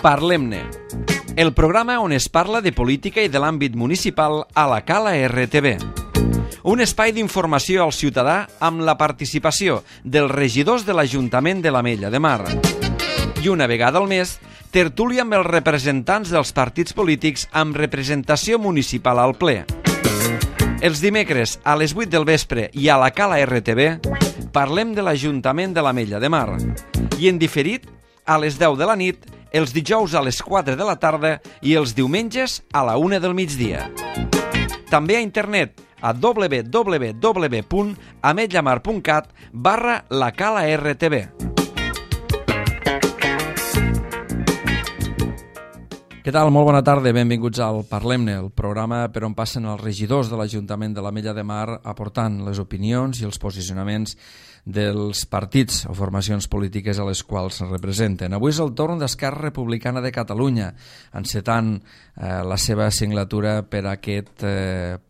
Parlem-ne, el programa on es parla de política i de l'àmbit municipal a la Cala RTV. Un espai d'informació al ciutadà amb la participació dels regidors de l'Ajuntament de l'Ametlla de Mar. I una vegada al mes, tertúlia amb els representants dels partits polítics amb representació municipal al ple. Els dimecres a les 8 del vespre i a la Cala RTV parlem de l'Ajuntament de l'Ametlla de Mar. I en diferit a les 10 de la nit, els dijous a les 4 de la tarda i els diumenges a la 1 del migdia. També a internet a www.ametllamar.cat/lacala-rtv. Què tal? Molt bona tarda, benvinguts al Parlem-ne, el programa per on passen els regidors de l'Ajuntament de l'Ametlla de Mar aportant les opinions i els posicionaments dels partits o formacions polítiques a les quals representen. Avui és el torn d'Esquerra Republicana de Catalunya, encetant la seva signatura per aquest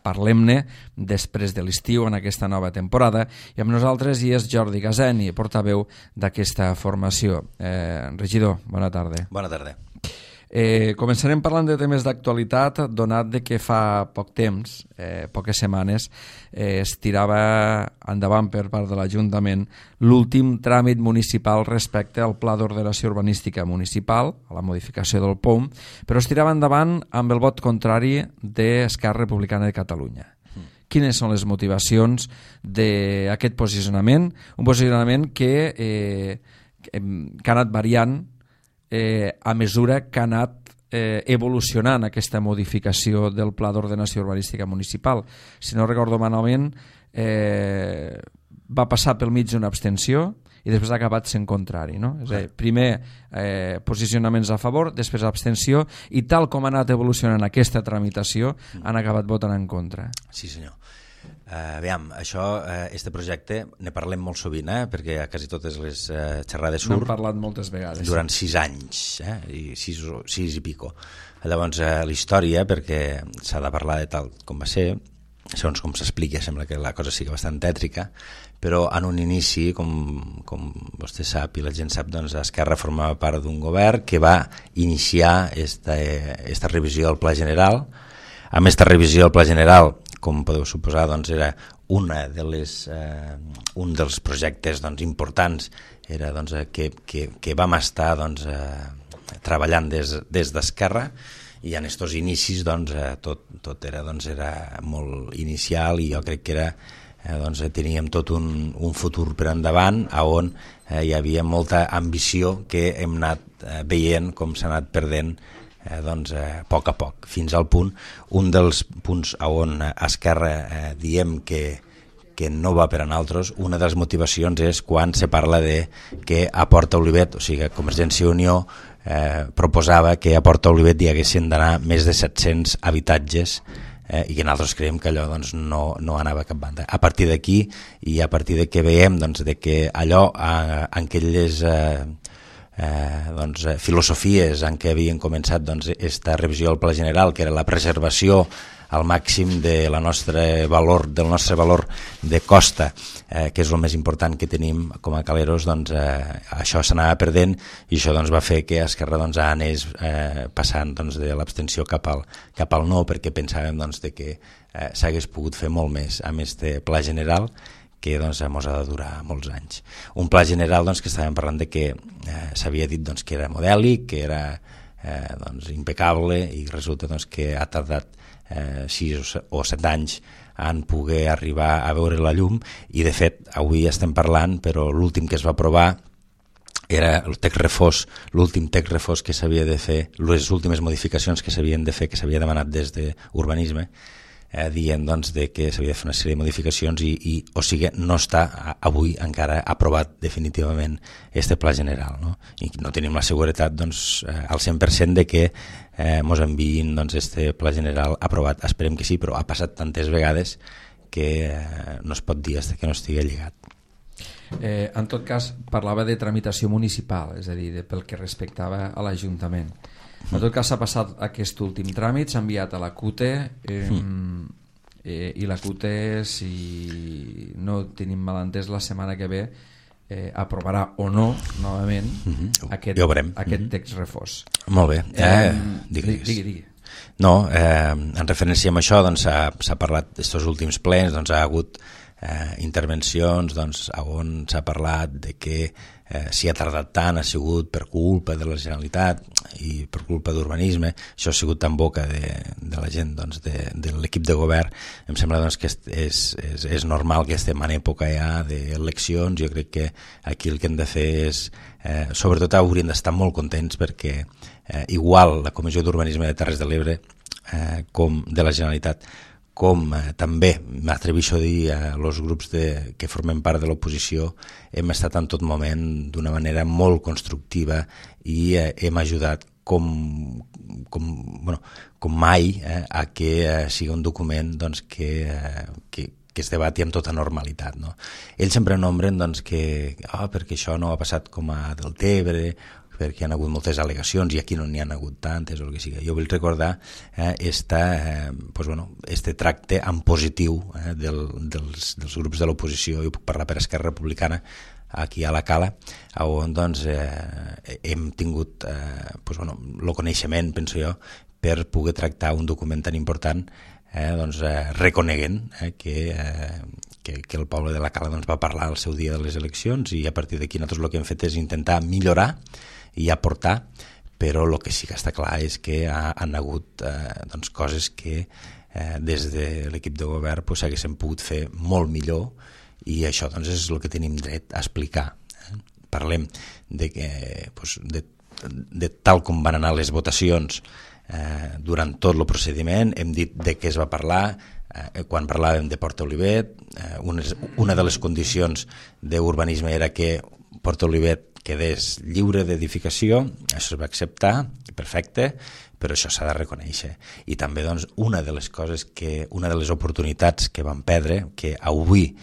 Parlem-ne després de l'estiu en aquesta nova temporada, i amb nosaltres hi és Jordi Gazeni, portaveu d'aquesta formació. Regidor, bona tarda. Bona tarda. Començarem parlant de temes d'actualitat, donat de que fa poc temps, poques setmanes, es tirava endavant per part de l'Ajuntament l'últim tràmit municipal respecte al Pla d'Ordenació Urbanística Municipal, a la modificació del POUM, però es tirava endavant amb el vot contrari d'Esquerra Republicana de Catalunya. Quines són les motivacions d'aquest posicionament? Un posicionament que ha anat variant a mesura que ha anat evolucionant aquesta modificació del Pla d'Ordenació Urbanística Municipal. Si no recordo malament, va passar pel mig d'una abstenció i després ha acabat sent contrari, no? És a dir, primer posicionaments a favor, després abstenció, i tal com ha anat evolucionant aquesta tramitació han acabat votant en contra. Sí, senyor. Aviam, este projecte ne parlem molt sovint, perquè a quasi totes les xerrades surt. N'hem parlat moltes vegades. Durant 6 anys, i 6 i pico. Llavors, la història, perquè s'ha de parlar de tal com va ser, segons com s'explica, sembla que la cosa sigui bastant tètrica, però en un inici, com vostè sap i la gent sap, doncs Esquerra formava part d'un govern que va iniciar esta revisió del Pla General. Amb aquesta revisió del Pla General, com podeu suposar, doncs era un dels projectes importants, era que vam estar treballant des d'Esquerra, i en aquests inicis tot era molt inicial, i jo crec que teníem tot un futur per endavant on hi havia molta ambició que hem anat veient com s'ha anat perdent a poc a poc, fins al punt, un dels punts on Esquerra diem que no va per a nosaltres, una de les motivacions és quan se parla de que a Porta Olivet, o sigui, Convergència i Unió proposava que a Porta Olivet hi haguessin d'anar més de 700 habitatges, i que nosaltres creiem que allò no anava a cap banda. A partir d'aquí, i a partir de que veiem de que allò en aquelles filosofies en què havien començat esta revisió del Pla General, que era la preservació al màxim del nostre valor de costa, que és el més important que tenim com a caleros, això s'anava perdent, i això va fer que Esquerra anés passant de l'abstenció cap al no, perquè pensàvem que s'hagués pogut fer molt més amb este Pla General, que ens ha de durar molts anys. Un pla general que estàvem parlant de que s'havia dit que era modèlic, que era impecable, i resulta que ha tardat 6 o 7 anys en poder arribar a veure la llum, i de fet avui estem parlant, però l'últim que es va aprovar era el text refós, l'últim text refós que s'havia de fer, les últimes modificacions que s'havien de fer, que s'havia demanat des d'Urbanisme, dient que s'havia de fer una sèrie de modificacions, o sigui, no està avui encara aprovat definitivament este pla general, no? I no tenim la seguretat al 100% de que mos enviïn este pla general aprovat. Esperem que sí, però ha passat tantes vegades que no es pot dir fins que no estigui lligat. En tot cas, parlava de tramitació municipal, és a dir, pel que respectava a l'Ajuntament. En tot cas, s'ha passat aquest últim tràmit, s'ha enviat a la CUTE, i la CUTE, si no tenim malentès, la setmana que ve aprovarà o no novament aquest text refós. Molt bé. Digui. No, en referència a això doncs, s'ha parlat d'estos últims plens, doncs, ha hagut intervencions on s'ha parlat de que si ha tardat tant ha sigut per culpa de la Generalitat i per culpa d'urbanisme. Això ha sigut en boca de la gent de l'equip de govern. Em sembla que és normal que estem en època ja d'eleccions. Jo crec que aquí el que hem de fer és sobretot hauríem d'estar molt contents perquè igual la Comissió d'Urbanisme de Terres de l'Ebre com de la Generalitat, com també m'atreveixo a dir els grups que formem part de l'oposició, hem estat en tot moment d'una manera molt constructiva i hem ajudat com mai a que sigui un document que es debati amb tota normalitat. No? Ells sempre nombren que perquè això no ha passat com a Deltebre, perquè hi ha hagut moltes al·legacions i aquí no n'hi ha hagut tantes o el que sigui. Jo vull recordar este tracte en positiu dels grups de l'oposició. Jo puc parlar per Esquerra Republicana aquí a la Cala, on hem tingut el coneixement, penso jo, per poder tractar un document tan important reconeguent que el poble de la Cala va parlar al seu dia de les eleccions i a partir d'aquí nosaltres el que hem fet és intentar millorar i aportar, però el que sí que està clar és que han hagut coses que des de l'equip de govern s'haguessin pogut fer molt millor i això és el que tenim dret a explicar. Parlem de tal com van anar les votacions durant tot el procediment, hem dit de què es va parlar, quan parlàvem de Port Olivet, una de les condicions d'urbanisme era que Port Olivet quedés lliure d'edificació, això es va acceptar, perfecte, però això s'ha de reconèixer. I també una de les oportunitats que vam perdre, que avui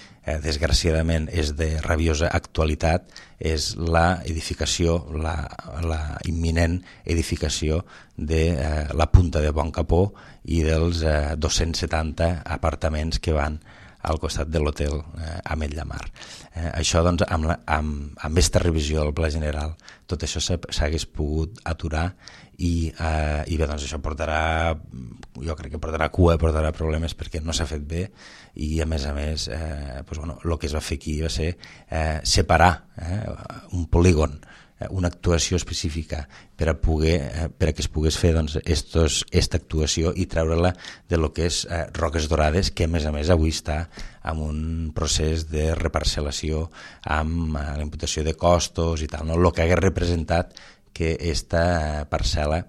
desgraciadament és de rabiosa actualitat, és la edificació, la imminent edificació de la Punta de Bon Capó i dels 270 apartaments que van al costat de l'hotel Ametlla Mar. Això, amb aquesta revisió del Pla General, tot això s'hagués pogut aturar i bé, això portarà, jo crec que portarà cua, portarà problemes perquè no s'ha fet bé i a més el que es va fer aquí va ser separar un polígon, una actuació específica per a que es pogués fer aquesta actuació i treure-la de lo que és Roques Dorades, que a més avui està en un procés de reparcel·lació amb la imputació de costos i tal, no? El que hagués representat que aquesta parcel·la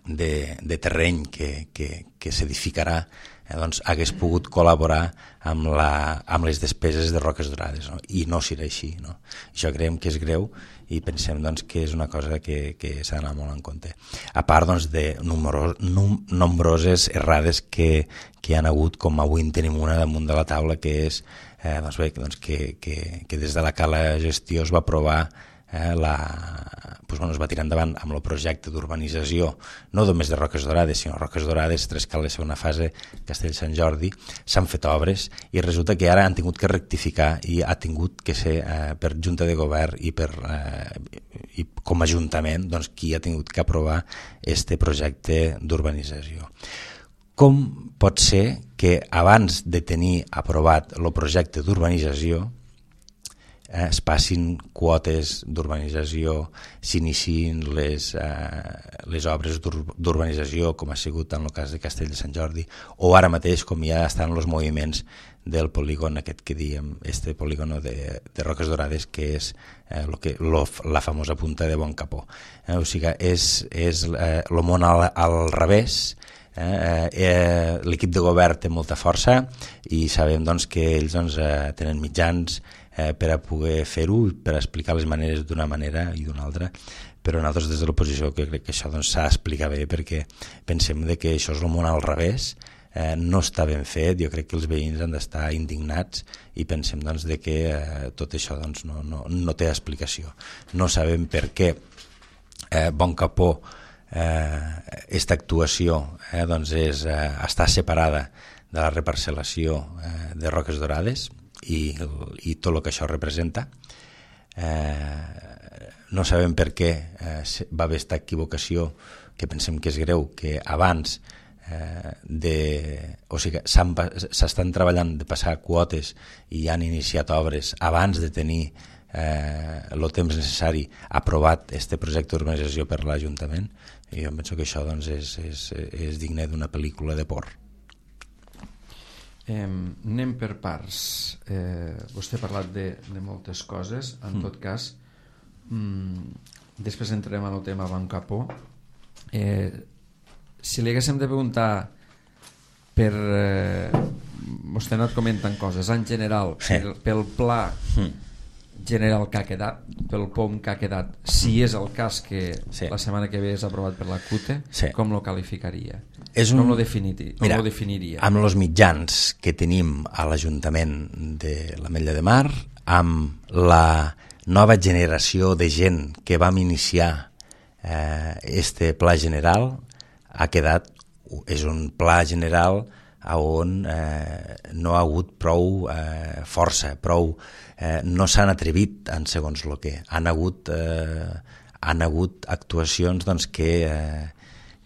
de terreny que s'edificarà hagués pogut col·laborar amb les despeses de Roques Dorades, no? I no serà així, no? Això creiem que és greu i pensem que és una cosa que s'ha d'anar molt en compte. A part de nombroses errades que hi han hagut, com avui en tenim una damunt de la taula, que és que des de la Cala Gestió es va aprovar es va tirar endavant amb el projecte d'urbanització no només de Roques Dorades, sinó Roques Dorades, Trescales, segona fase, Castell Sant Jordi. S'han fet obres i resulta que ara han tingut que rectificar i ha tingut que ser per Junta de Govern i com a Ajuntament qui ha tingut que aprovar este projecte d'urbanització. Com pot ser que abans de tenir aprovat el projecte d'urbanització es passin quotes d'urbanització, s'iniciïn les obres d'urbanització, com ha sigut en el cas de Castell de Sant Jordi, o ara mateix com ja estan els moviments del polígon aquest que diem, este polígon de Roques Dorades, que és la famosa Punta de Bon Capó. O sigui, és el món al revés. L'equip de govern té molta força i sabem que ells tenen mitjans per a poder fer-ho, per a explicar les maneres d'una manera i d'una altra, però nosaltres des de l'oposició crec que això s'ha d'explicar bé perquè pensem que això és el món al revés, no està ben fet. Jo crec que els veïns han d'estar indignats i pensem que tot això no té explicació. No sabem per què Bon Capó, aquesta actuació està separada de la reparcel·lació de Roques Dorades i tot el que això representa. no sabem per què va haver aquesta equivocació, que pensem que és greu, que abans o sigui, s'estan treballant de passar quotes i han iniciat obres abans de tenir el temps necessari aprovat este projecte d'urbanització per l'Ajuntament, i jo penso que això doncs, és digne d'una pel·lícula de por. Anem per parts. Vostè ha parlat de moltes coses. En tot cas, després entrem en el tema Banc Capó. Si li haguéssim de preguntar per... vostè ha anat comentant coses en general, pel pla general que ha quedat, pel POM que ha quedat, si és el cas que la setmana que ve és aprovat per la CUTE, com lo qualificaria? Com lo definiria? Amb els mitjans que tenim a l'Ajuntament de l'Ametlla de Mar, amb la nova generació de gent que vam iniciar este pla general, ha quedat, és un pla general on no ha hagut prou força, no s'han atrevit en segons el que. Han hagut actuacions doncs, que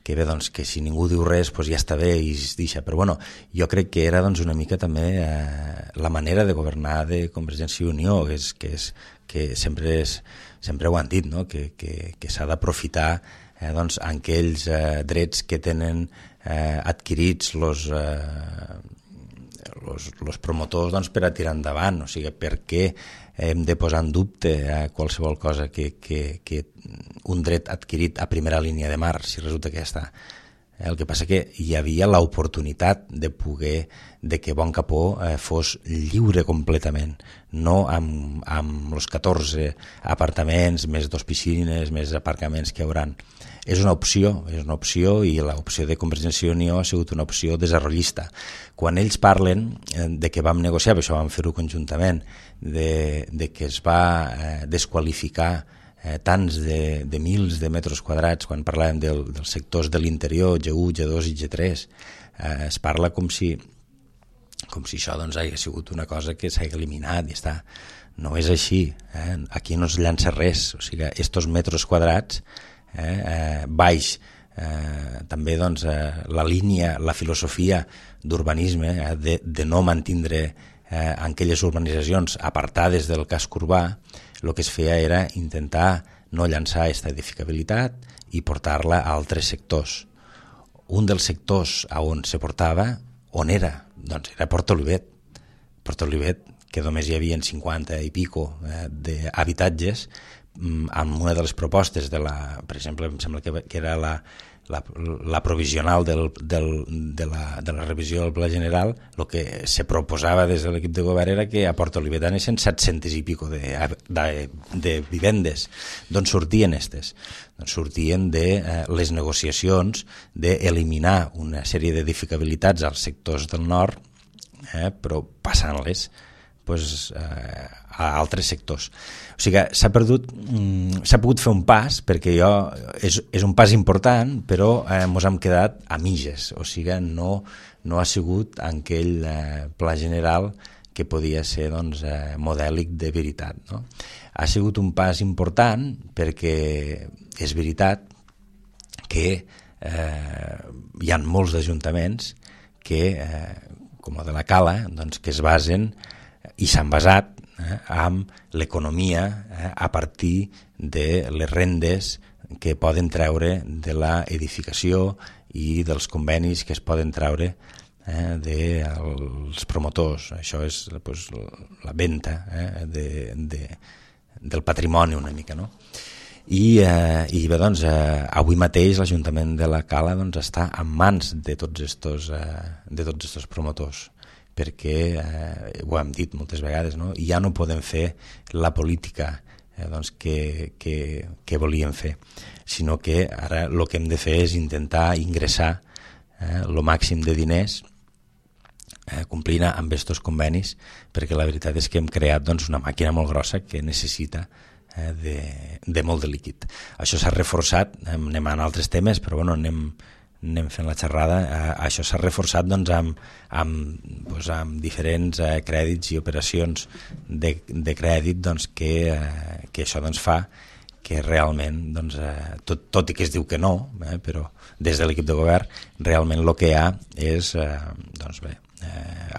bé, doncs, que si ningú diu res doncs ja està bé i es deixa, però bueno, jo crec que era doncs, una mica també la manera de governar de Convergència i Unió, que sempre ho han dit, no? que s'ha d'aprofitar doncs, aquells drets que tenen adquirits els promotors doncs, per a tirar endavant, o sigui, per què hem de posar en dubte qualsevol cosa que un dret adquirit a primera línia de mar, si resulta que ja està. El que passa que hi havia l'oportunitat de que Bon Capó fos lliure completament, no amb els 14 apartaments, més 2 piscines, més aparcaments que hi hauran. És una opció i l'opció de Convergència i Unió ha sigut una opció desarrollista. Quan ells parlen de que vam negociar, per això vam fer-ho conjuntament, de que es va desqualificar tants de mils de metres quadrats, quan parlàvem dels sectors de l'interior, G1, G2 i G3, es parla com si això doncs, hagi sigut una cosa que s'ha eliminat i està. No és així, aquí no es llança res, o sigui, estos metres quadrats baix, també doncs, la línia, la filosofia d'urbanisme, de no mantindre aquelles urbanitzacions apartades del casc urbà, el que es feia era intentar no llançar aquesta edificabilitat i portar-la a altres sectors. Un dels sectors on se portava, on era? Doncs era Port Olivet. Port Olivet, que només hi havia 50 i pico d'habitatges, amb una de les propostes per exemple, em sembla que era la provisional de la revisió del Pla General, el que se proposava des de l'equip de govern era que a Port Olivet anessin 700 i pico de vivendes. D'on sortien aquestes? Doncs sortien de les negociacions d'eliminar una sèrie d'edificabilitats als sectors del nord, però passant-les a altres sectors. O sigui, s'ha pogut fer un pas, perquè és un pas important, però ens hem quedat a mitges, o sigui, no ha sigut aquell pla general que podia ser doncs, modèlic de veritat. No? Ha sigut un pas important perquè és veritat que hi ha molts d'ajuntaments que, com el de la Cala, doncs, que es basen i s'han basat amb l'economia a partir de les rendes que poden treure de l'edificació i dels convenis que es poden treure dels promotors. Això és la venda del patrimoni una mica, no? I bé, doncs, avui mateix l'Ajuntament de la Cala doncs, està en mans de tots estos promotors, perquè ho hem dit moltes vegades, no? Ja no podem fer la política doncs, que volíem fer, sinó que ara el que hem de fer és intentar ingressar el màxim de diners complint amb aquests convenis, perquè la veritat és que hem creat doncs, una màquina molt grossa que necessita de molt de líquid. Això s'ha reforçat, anem a altres temes, però bueno, anem fent la xerrada. Això s'ha reforçat doncs, amb diferents crèdits i operacions de crèdit doncs, que això doncs, fa que realment, doncs, tot i que es diu que no, però des de l'equip de govern realment el que hi ha és, doncs bé,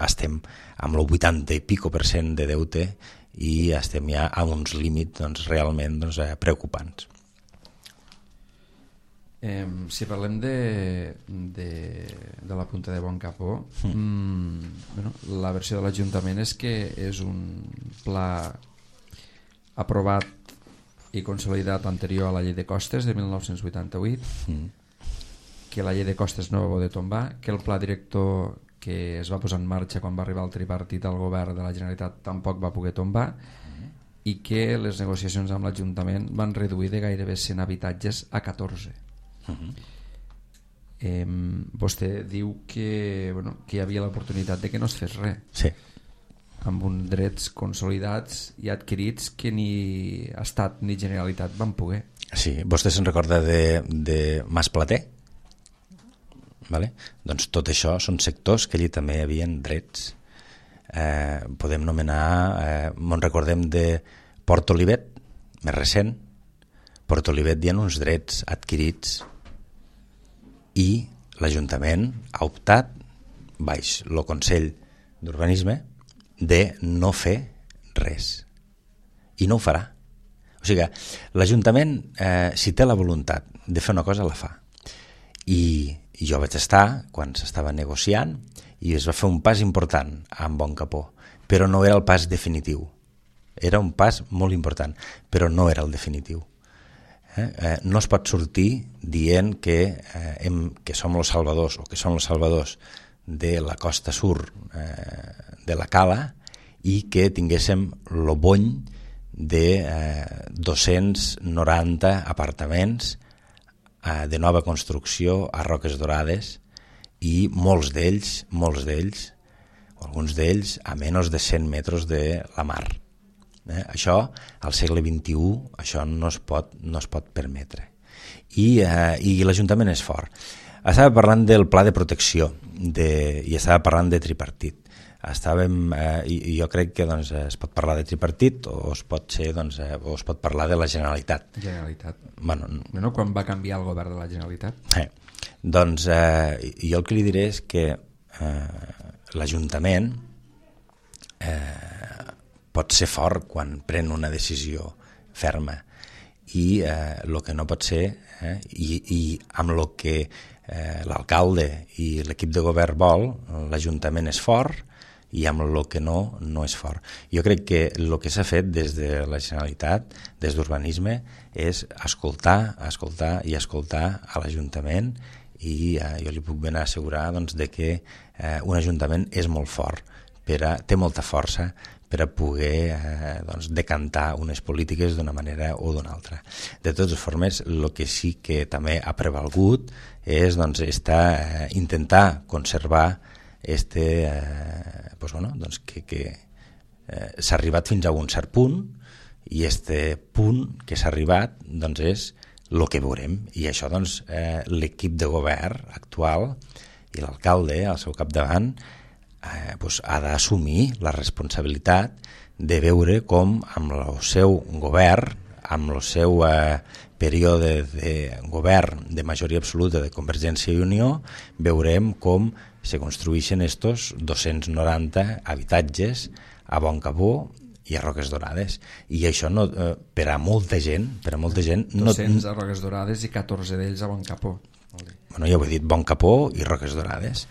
estem amb el 80 i pico % de deute i estem ja a uns límits doncs, realment doncs, preocupants. Si parlem de la punta de Boncapó, bueno, la versió de l'Ajuntament és que és un pla aprovat i consolidat anterior a la llei de costes de 1988, que la llei de costes no va poder tombar, que el pla director que es va posar en marxa quan va arribar el tripartit al govern de la Generalitat tampoc va poder tombar, i que les negociacions amb l'Ajuntament van reduir de gairebé 100 habitatges a 14. Vostè diu que, bueno, que hi havia l'oportunitat de que no es fes res, sí, amb uns drets consolidats i adquirits que ni Estat ni Generalitat van poder. Sí, vostè se'n recorda de Mas Plater? Vale? Doncs tot això són sectors que allí també hi havia drets. Podem nomenar, me'n recordem de Port Olivet, més recent. Port Olivet hi ha uns drets adquirits i l'Ajuntament ha optat, baix el Consell d'Urbanisme, de no fer res. I no ho farà. O sigui que l'Ajuntament, si té la voluntat de fer una cosa, la fa. I jo vaig estar quan s'estava negociant i es va fer un pas important amb Boncapó, però no era el pas definitiu. Era un pas molt important, però no era el definitiu. No es pot sortir dient que som els salvadors o que som els salvadors de la costa sur de la Cala i que tinguéssim el bony de 290 apartaments de nova construcció a Roques Dorades i molts d'ells, o alguns d'ells, a menys de 100 metres de la mar. Això, al segle XXI, això no es pot permetre. I l'Ajuntament és fort. Estava parlant del pla de protecció i estava parlant de tripartit. Jo crec que doncs, es pot parlar de tripartit o es pot parlar de la Generalitat. Bueno, quan va canviar el govern de la Generalitat? Doncs jo el que li diré és que l'Ajuntament pot ser fort quan pren una decisió ferma i el que no pot ser i amb el que l'alcalde i l'equip de govern vol, l'Ajuntament és fort i amb el que no és fort. Jo crec que el que s'ha fet des de la Generalitat, des d'Urbanisme, és escoltar a l'Ajuntament i jo li puc ben assegurar doncs, de que un Ajuntament és molt fort, té molta força per a poder decantar unes polítiques d'una manera o d'una altra. De totes formes, el que sí que també ha prevalgut és intentar conservar que s'ha arribat fins a un cert punt i punt que s'ha arribat és el que veurem. I això l'equip de govern actual i l'alcalde al seu capdavant ha d'assumir la responsabilitat de veure com amb el seu govern, amb el seu període de govern de majoria absoluta de Convergència i Unió, veurem com se construeixen estos 290 habitatges a Boncapó i a Roques Dorades. I això per a molta gent... 200 a Roques Dorades i 14 d'ells a Boncapó. Bueno, ja ho he dit, Boncapó i Roques Dorades.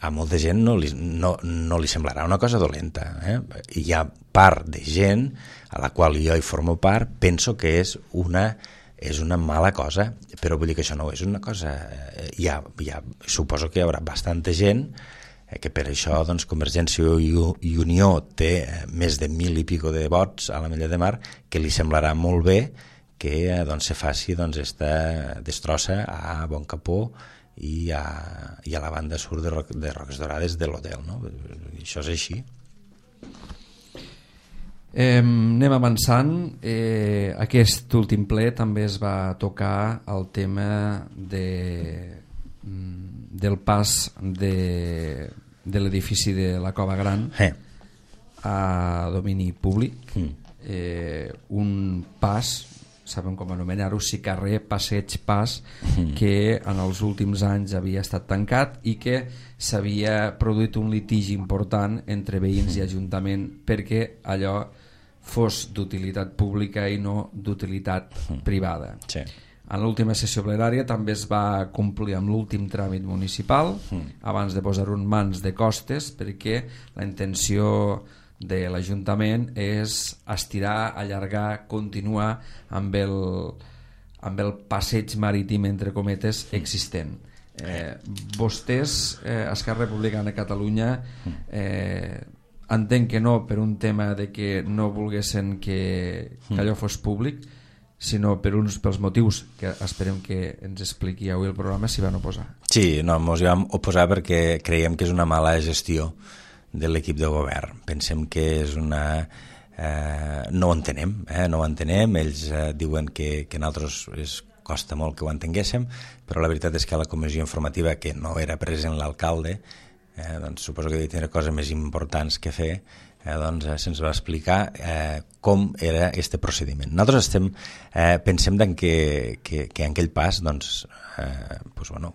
A molta gent no li semblarà una cosa dolenta. Hi ha part de gent a la qual jo hi formo part, penso que és una mala cosa, però vull dir que això no és una cosa... suposo que hi haurà bastanta gent que per això Convergència i Unió té més de 1.000 i pico de vots a l'Ametlla de Mar, que li semblarà molt bé que se faci esta destrossa a Boncapó i a la banda sur de Roques Dorades de l'hotel, no? Això és així. Anem avançant. Aquest últim ple també es va tocar el tema del pas de l'edifici de la Cova Gran a domini públic. Un pas, sabem com anomenar-ho, si carrer, passeig, pas, que en els últims anys havia estat tancat i que s'havia produït un litigi important entre veïns i ajuntament perquè allò fos d'utilitat pública i no d'utilitat privada. Sí. En l'última sessió plenària també es va complir amb l'últim tràmit municipal abans de posar-ho en mans de Costes, perquè la intenció de l'Ajuntament és estirar, allargar, continuar amb el passeig marítim, entre cometes, existent. Vostès, Esquerra Republicana de Catalunya, entenc que no per un tema de que no volguessin que allò fos públic, sinó pels motius que esperem que ens expliqui avui el programa, s'hi van oposar. Sí, no, ens hi vam oposar perquè creiem que és una mala gestió de l'equip de govern. Pensem que és una... no ho entenem, no ho entenem. Ells diuen que a nosaltres costa molt que ho entenguéssim, però la veritat és que a la comissió informativa, que no era present l'alcalde, doncs suposo que devia tenir coses més importants que fer, doncs se'ns va explicar com era aquest procediment. Nosaltres pensem que en aquell pas, doncs,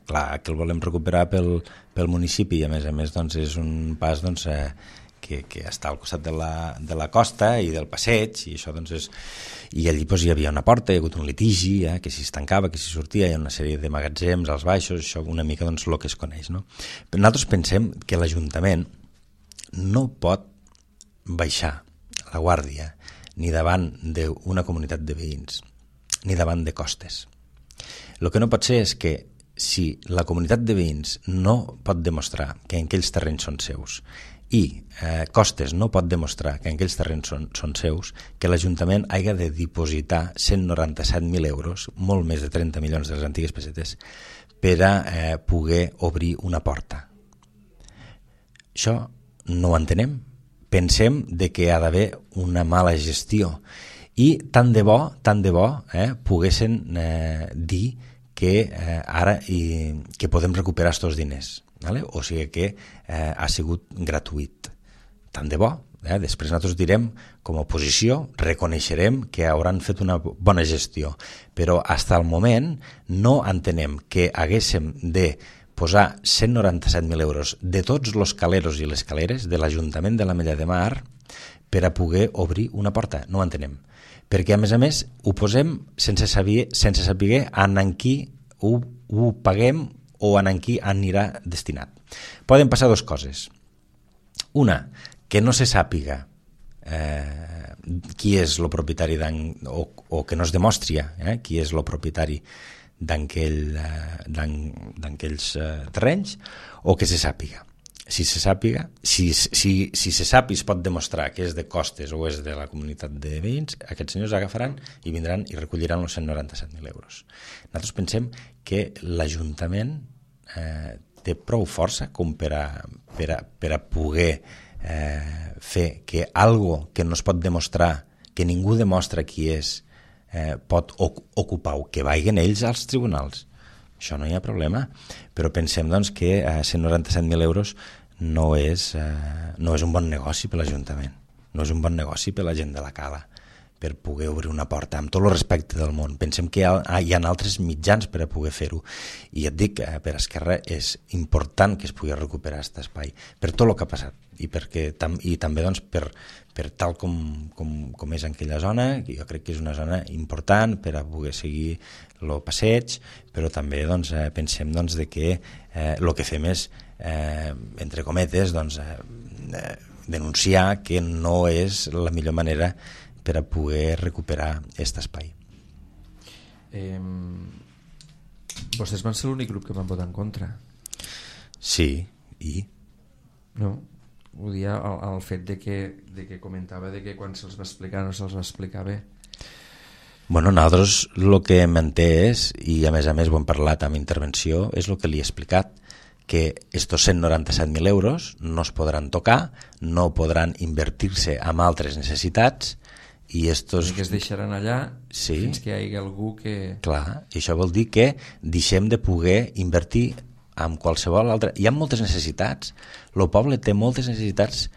clar, que el volem recuperar pel municipi i a més doncs, és un pas doncs, que està al costat de la costa i del passeig, i això doncs és... I allí doncs, hi havia una porta, hi ha hagut un litigi, que si es tancava, que si sortia, hi ha una sèrie de magatzems als baixos, això una mica doncs, el que es coneix. No? Però nosaltres pensem que l'Ajuntament no pot baixar la guàrdia ni davant d'una comunitat de veïns, ni davant de Costes. El que no pot ser és que si la comunitat de veïns no pot demostrar que aquells terrenys són seus i Costes no pot demostrar que aquells terrenys són seus, que l'Ajuntament hagi de dipositar 197.000 euros, molt més de 30 milions de les antigues pessetes, per a poder obrir una porta. Això no ho entenem. Pensem que hi ha d'haver una mala gestió i tant de bo poguessin dir que ara que podem recuperar aquests diners, vale? O sigui que ha sigut gratuït. Tant de bo. Després nosaltres direm, com a oposició, reconeixerem que hauran fet una bona gestió, però fins al moment no entenem que haguéssim de posar 197.000 euros de tots els caleros i les caleres de l'Ajuntament de l'Ametlla de Mar per a poder obrir una porta. No ho entenem. Perquè, a més, ho posem sense saber en qui ho paguem o en qui anirà destinat. Poden passar dues coses. Una, que no se sàpiga qui és el propietari o que no es demostri qui és el propietari d'aquells terrenys, o que se sàpiga. Si se sàpiga, si se sap i es pot demostrar que és de Costes o és de la comunitat de veïns, aquests senyors agafaran i vindran i recolliran els 197.000 euros. Nosaltres pensem que l'Ajuntament té prou força com per a poder fer que algo que no es pot demostrar, que ningú demostra qui és, pot ocupar, que vagin ells als tribunals. Això no hi ha problema, però pensem doncs, que 197.000 euros no és un bon negoci per l'Ajuntament, no és un bon negoci per la gent de la Cala, per poder obrir una porta, amb tot el respecte del món. Pensem que hi ha altres mitjans per a poder fer-ho, i et dic, per Esquerra és important que es pugui recuperar aquest espai, per tot el que ha passat, i també doncs, per tal com és en aquella zona, que jo crec que és una zona important per a poder seguir el passeig, però també doncs, pensem doncs, que el que fem és, entre cometes, doncs, denunciar que no és la millor manera per a poder recuperar aquest espai. Vostès van ser l'únic grup que van votar en contra. Sí, i? No, ho dia el fet de que comentava de que quan se'ls va explicar no se'ls va explicar bé. Bueno, nosaltres el que hem entès, i a més ho hem parlat amb intervenció, és el que li he explicat, que estos 197.000 euros no es podran tocar, no podran invertir-se en altres necessitats, i estos... que es deixaran allà fins que hi hagi algú que... Clar, i això vol dir que deixem de poder invertir en qualsevol altra... Hi ha moltes necessitats, el poble té moltes necessitats,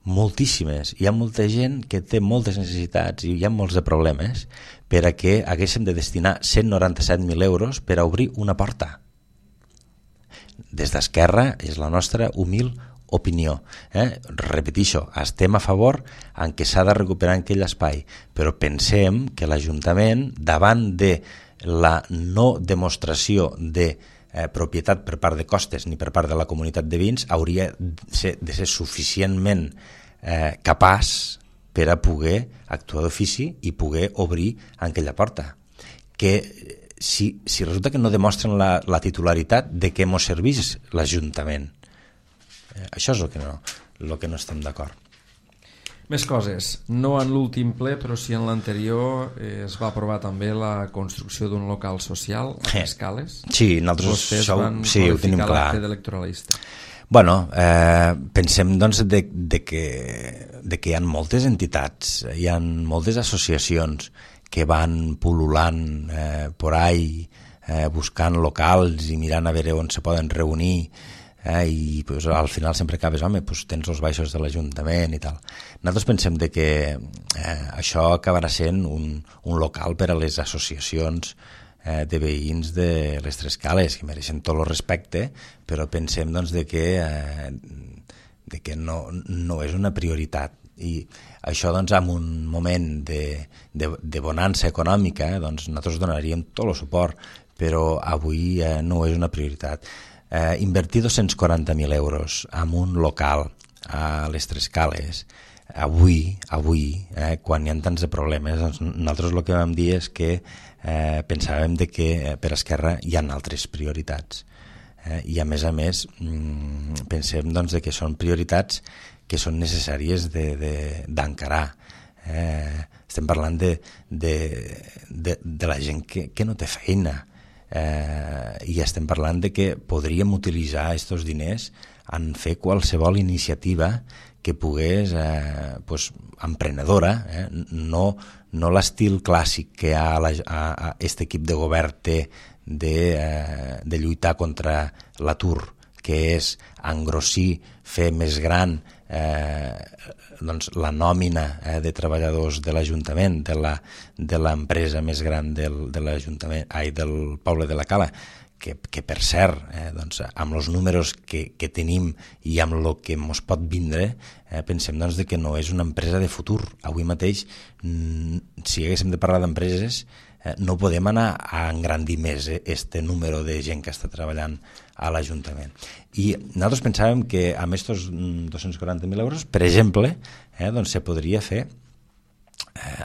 moltíssimes, hi ha molta gent que té moltes necessitats i hi ha molts de problemes per a que haguéssim de destinar 197.000 euros per a obrir una porta. Des d'Esquerra és la nostra humil opinió. Repetixo, estem a favor en què s'ha de recuperar aquell espai, però pensem que l'Ajuntament, davant de la no demostració de propietat per part de Costes ni per part de la comunitat de veïns, hauria de ser suficientment capaç per a poder actuar d'ofici i poder obrir aquella porta. Que si resulta que no demostren la titularitat, de què mos serveix l'Ajuntament? Això és el que no estem d'acord. Més coses. No en l'últim ple, però sí en l'anterior es va aprovar també la construcció d'un local social a Escales. Sí, nosaltres ho tenim clar. L'acte d'electoralista. Bueno, pensem doncs de que hi ha moltes entitats, hi ha moltes associacions que van pul·lulant por ahí, buscant locals i mirant a veure on se poden reunir, i pues, al final sempre acabes, pues, tens els baixos de l'Ajuntament i tal. Nosaltres pensem que això acabarà sent un local per a les associacions de veïns de les Tres Cales, que mereixen tot el respecte, però pensem doncs, de que no és una prioritat. I això doncs, en un moment de bonança econòmica, doncs, nosaltres donaríem tot el suport, però avui no és una prioritat. Invertir 240.000 euros en un local a les Tres Cales, avui quan hi ha tants de problemes, doncs nosaltres el que vam dir és que pensàvem que per Esquerra hi ha altres prioritats. I a més pensem doncs, que són prioritats que són necessàries d'encarar. Estem parlant de la gent que no té feina, i estem parlant que podríem utilitzar aquests diners en fer qualsevol iniciativa que pogués, emprenedora, no l'estil clàssic que aquest equip de govern té de lluitar contra l'atur, que és engrossir, fer més gran doncs, la nòmina de treballadors de l'Ajuntament, de l'empresa més gran del poble de la Cala, que per cert, doncs, amb els números que tenim i amb el que ens pot vindre, pensem doncs, que no és una empresa de futur. Avui mateix, si haguéssim de parlar d'empreses, no podem anar a engrandir més este número de gent que està treballant a l'Ajuntament. I nosaltres pensàvem que amb aquests 240.000 euros, per exemple, doncs se podria fer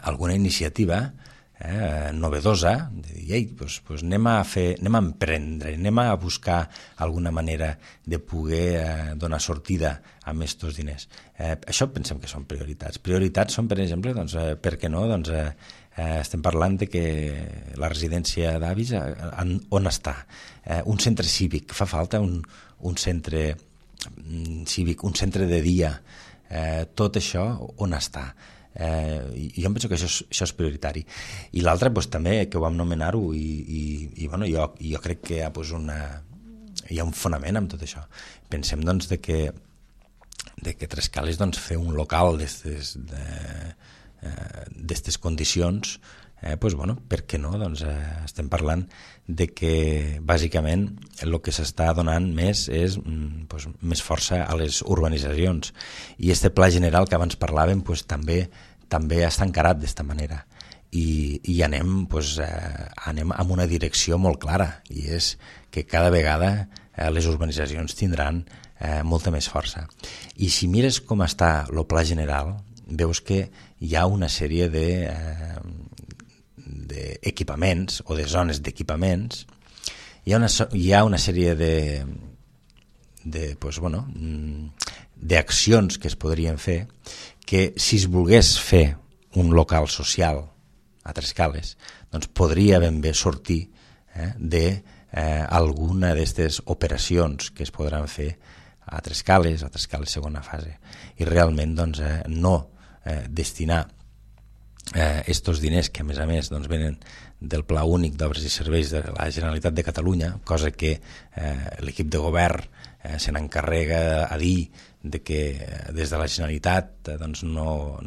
alguna iniciativa novedosa, de dir, anem a emprendre, anem a buscar alguna manera de poder donar sortida a aquests diners. Això pensem que són prioritats. Prioritats són, per exemple, per què no, estem parlant de que la residència d'avis on està? Un centre cívic, fa falta un centre cívic, un centre de dia, tot això on està? Jo em penso que això és prioritari. I l'altre també, que ho vam nomenar-ho, i jo crec que hi ha un fonament amb tot això. Pensem doncs de que Tres Cales fer un local d'aquestes condicions, per què no? Estem parlant de que bàsicament el que s'està donant més és més força a les urbanitzacions, i este pla general que abans parlàvem també està encarat d'esta manera, i anem en una direcció molt clara, i és que cada vegada les urbanitzacions tindran molta més força. I si mires com està el pla general, veus que hi ha una sèrie d'equipaments o de zones d'equipaments, hi ha una sèrie d'accions que es podrien fer, que si es volgués fer un local social a Tres Cales, doncs podria ben bé sortir alguna d'aquestes operacions que es podran fer a Trescales segona fase, i realment doncs, no destinar estos diners que a més doncs, venen del Pla Únic d'Obres i Serveis de la Generalitat de Catalunya, cosa que l'equip de govern se n'encarrega a dir de que des de la Generalitat doncs, no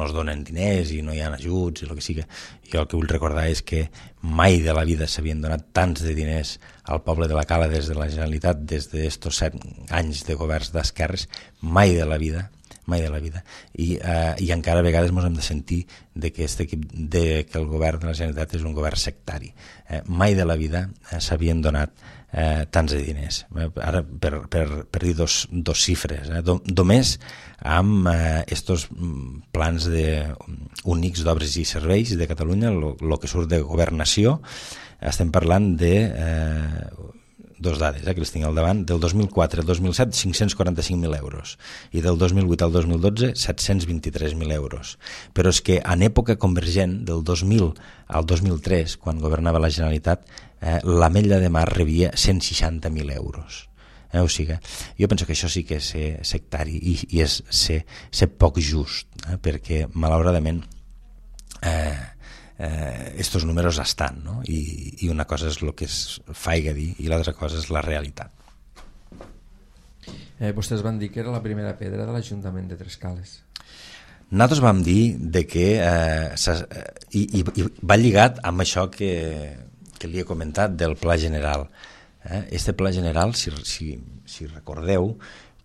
es donen diners i no hi ha ajuts i el que sigui. Jo el que vull recordar és que mai de la vida s'havien donat tants de diners al poble de la Cala des de la Generalitat, des d'estos 7 anys de governs d'esquerres, mai de la vida, i encara a vegades ens hem de sentir de que el govern de la Generalitat és un govern sectari. Mai de la vida s'havien donat tants de diners. Ara, per dir dos xifres, només amb estos plans únics d'obres i serveis de Catalunya, el que surt de governació, estem parlant de dos dades, que les tinc al davant, del 2004 al 2007 545.000 euros i del 2008 al 2012 723.000 euros. Però és que en època convergent, del 2000 al 2003, quan governava la Generalitat, l'Ametlla de Mar rebia 160.000 euros. O sigui, jo penso que això sí que és ser sectari i és ser poc just, perquè malauradament estos números estan, no? I una cosa és el que es faiga dir i l'altra cosa és la realitat. Vostès van dir que era la primera pedra de l'Ajuntament de Trescales. Nosaltres vam dir de que i va lligat amb això que li he comentat del Pla General. Este Pla General, si recordeu,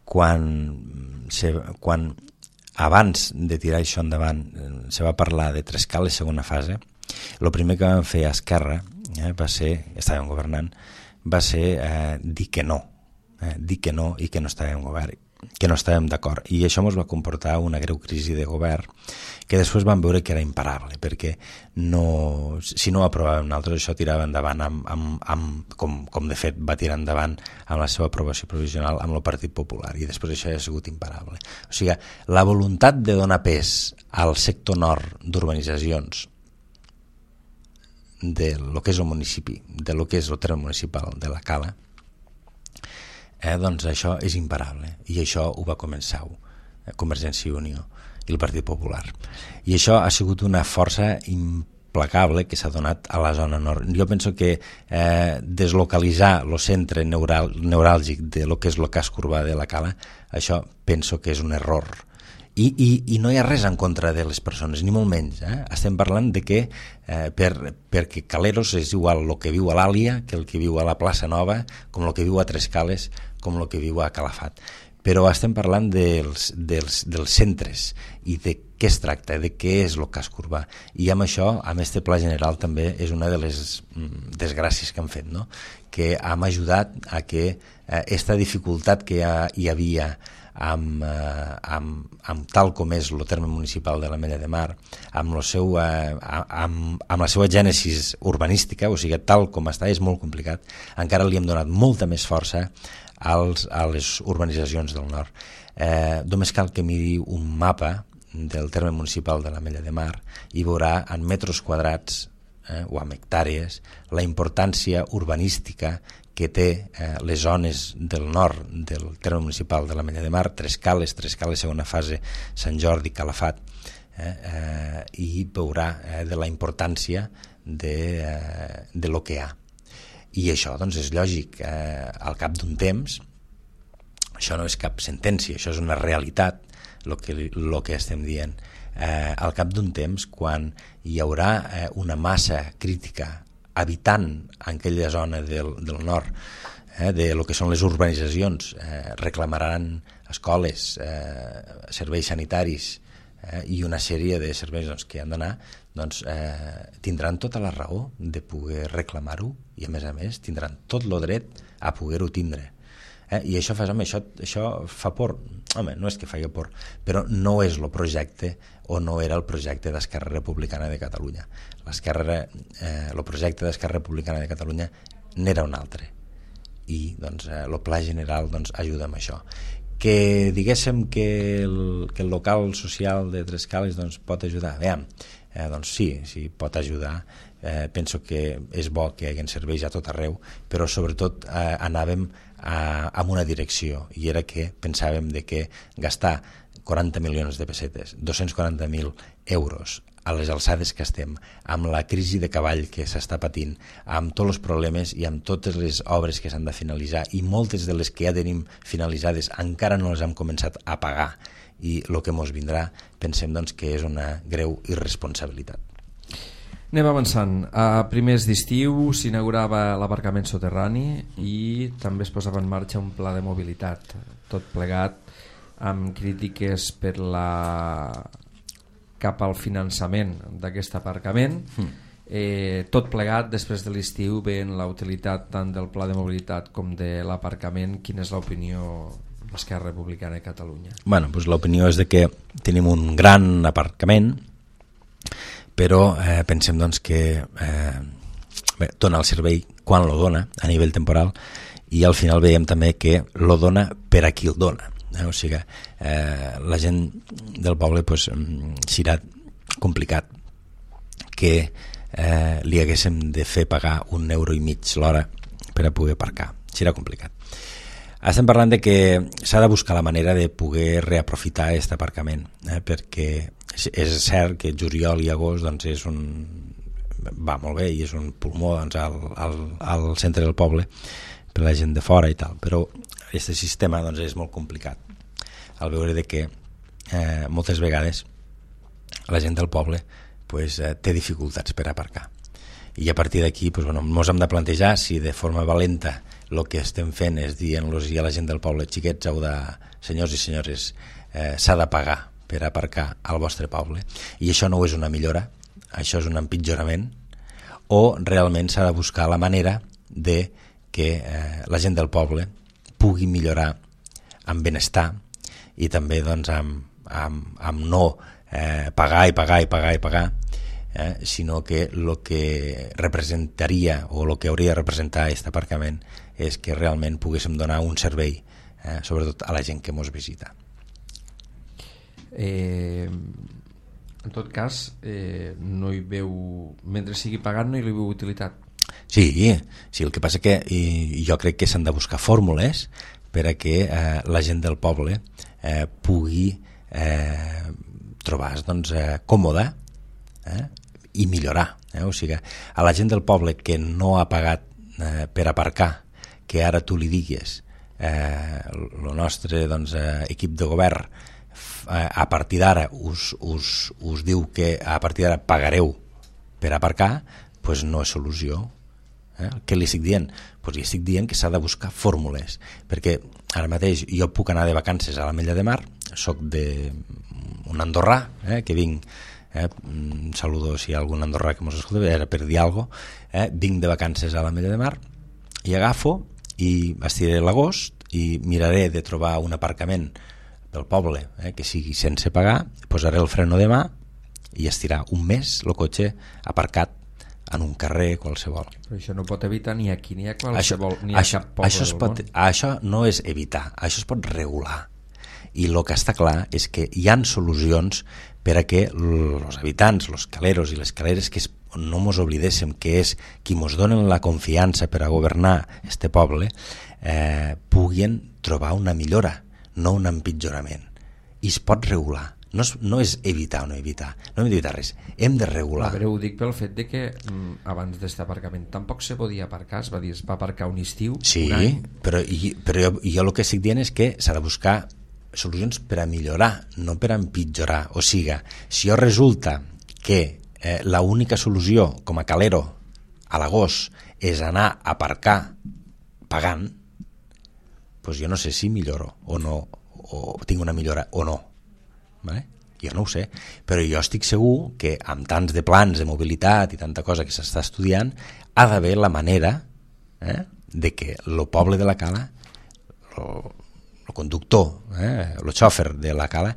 quan abans de tirar això endavant se va parlar de Trescales segona fase, el primer que van fer a Esquerra va ser, estàvem governant, va ser dir que no i que no estàvem govern, que no estàvem d'acord, i això ens va comportar una greu crisi de govern que després vam veure que era imparable, perquè si no ho aprovàvem nosaltres, això tirava endavant com de fet va tirar endavant amb la seva aprovació provisional amb el Partit Popular, i després això ja ha sigut imparable. O sigui, la voluntat de donar pes al sector nord d'urbanitzacions de lo que és el municipi, de lo que és el terme municipal de la Cala, doncs això és imparable, i això ho va començar Convergència i Unió i el Partit Popular, i això ha sigut una força implacable que s'ha donat a la zona nord. Jo penso que deslocalitzar el centre neuràlgic de lo que és el casc urbà de la Cala, això penso que és un error, i no hi ha res en contra de les persones, ni molt menys. Estem parlant de que perquè Caleros és igual el que viu a l'Àlia que el que viu a la Plaça Nova, com el que viu a Trescales, com el que viu a Calafat. Però estem parlant dels centres i de què es tracta, de què és el casc urbà. I amb això, amb este Pla General, també és una de les desgràcies que han fet, no? Que hem ajudat a que aquesta dificultat que hi havia amb tal com és el terme municipal de l'Ametlla de Mar, amb la seva gènesis urbanística, o sigui, tal com està, és molt complicat. Encara li hem donat molta més força a les urbanitzacions del nord. Només cal que miri un mapa del terme municipal de l'Ametlla de Mar i veurà en metres quadrats o en hectàrees la importància urbanística que té les zones del nord del terme municipal de l'Ametlla de Mar, Trescales segona fase, Sant Jordi, Calafat, i veurà de la importància de lo que hi ha. I això doncs, és lògic, al cap d'un temps, això no és cap sentència, això és una realitat, el que estem dient. Al cap d'un temps, quan hi haurà una massa crítica habitant en aquella zona del nord, de lo que són les urbanitzacions, reclamaran escoles, serveis sanitaris i una sèrie de serveis que han d'anar, tindran tota la raó de poder reclamar-ho, i a més tindran tot el dret a poder-ho tindre. I això fa por. Home, no és que faci por, però no és el projecte, o no era el projecte d'Esquerra Republicana de Catalunya. El projecte d'Esquerra Republicana de Catalunya n'era un altre, i el Pla General ajuda amb això. Que diguéssim que el local social de Trescales pot ajudar. Veiem, doncs sí, pot ajudar. Penso que és bo que hi hagi serveis a tot arreu, però sobretot anàvem en una direcció, i era que pensàvem de que gastar 40 milions de pessetes, 240.000 euros a les alçades que estem, amb la crisi de cavall que s'està patint, amb tots els problemes i amb totes les obres que s'han de finalitzar, i moltes de les que ja tenim finalitzades encara no les hem començat a pagar, i el que ens vindrà pensem doncs, que és una greu irresponsabilitat. Anem avançant. A primers d'estiu s'inaugurava l'aparcament soterrani i també es posava en marxa un pla de mobilitat, tot plegat amb crítiques cap al finançament d'aquest aparcament. Tot plegat després de l'estiu, veient la utilitat tant del pla de mobilitat com de l'aparcament, quina és l'opinió d'Esquerra Republicana de Catalunya? Bueno, doncs l'opinió és de que tenim un gran aparcament, però pensem doncs, que dona el servei quan lo dona a nivell temporal, i al final veiem també que lo dona per a qui el dona. O sigui, la gent del poble pues, serà complicat que li haguéssim de fer pagar €1,50 l'hora per a poder aparcar. Serà complicat. Estem parlant de que s'ha de buscar la manera de poder reaprofitar aquest aparcament, perquè és cert que juliol i agost doncs, va molt bé i és un pulmó doncs, al centre del poble per a la gent de fora i tal, però aquest sistema doncs, és molt complicat al veure de que moltes vegades la gent del poble pues, té dificultats per aparcar, i a partir d'aquí pues, ens hem de plantejar si de forma valenta el que estem fent és dient-los a la gent del poble, xiquets, senyors i senyores, s'ha de pagar per aparcar al vostre poble, i això no és una millora, això és un empitjorament, o realment s'ha de buscar la manera de que la gent del poble pugui millorar amb benestar i també doncs, amb no pagar i pagar i pagar i pagar, sinó que el que representaria o el que hauria de representar aquest aparcament és que realment poguéssim donar un servei, sobretot a la gent que ens visita. En tot cas, no hi veu, mentre sigui pagat no hi veu utilitat. Sí, el que passa que jo crec que s'han de buscar fórmules per a que la gent del poble pugui trobar doncs, còmoda i millorar. O sigui, a la gent del poble que no ha pagat per aparcar, que ara tu li digues el nostre doncs, equip de govern a partir d'ara us diu que a partir d'ara pagareu per aparcar, doncs no és solució. Què li estic dient? Doncs li estic dient que s'ha de buscar fórmules, perquè ara mateix jo puc anar de vacances a l'Ametlla de Mar, soc d'un andorrà, que vinc, saludo si hi ha algun andorrà que mos escolta, era per dir alguna cosa, vinc de vacances a l'Ametlla de Mar i agafo i estiré l'agost i miraré de trobar un aparcament pel poble que sigui sense pagar, posaré el freno de mà i estirà un mes el cotxe aparcat en un carrer qualsevol. Però això no pot evitar ni aquí ni a qualsevol, ni a cap poble del món. Això no és evitar, això es pot regular. I el que està clar és que hi han solucions per a que els habitants, els caleros i les caleres, que no ens oblidéssim que és qui ens donen la confiança per a governar este poble, puguin trobar una millora, no un empitjorament. I es pot regular. No és evitar o no evitar, no hem d'evitar res, hem de regular. Però ho dic pel fet de que abans d'aquest aparcament tampoc se podia aparcar, es va aparcar un estiu, sí, un any. Però jo el que estic dient és que s'ha de buscar solucions per a millorar, no per a empitjorar. O sigui, si jo resulta que l'única solució com a calero a l'agost és anar a aparcar pagant, doncs jo no sé si milloro o no, o tinc una millora o no. Vale? Jo no ho sé, però jo estic segur que amb tants de plans de mobilitat i tanta cosa que s'està estudiant ha d'haver la manera de que el poble de la Cala, el conductor, el xòfer de la Cala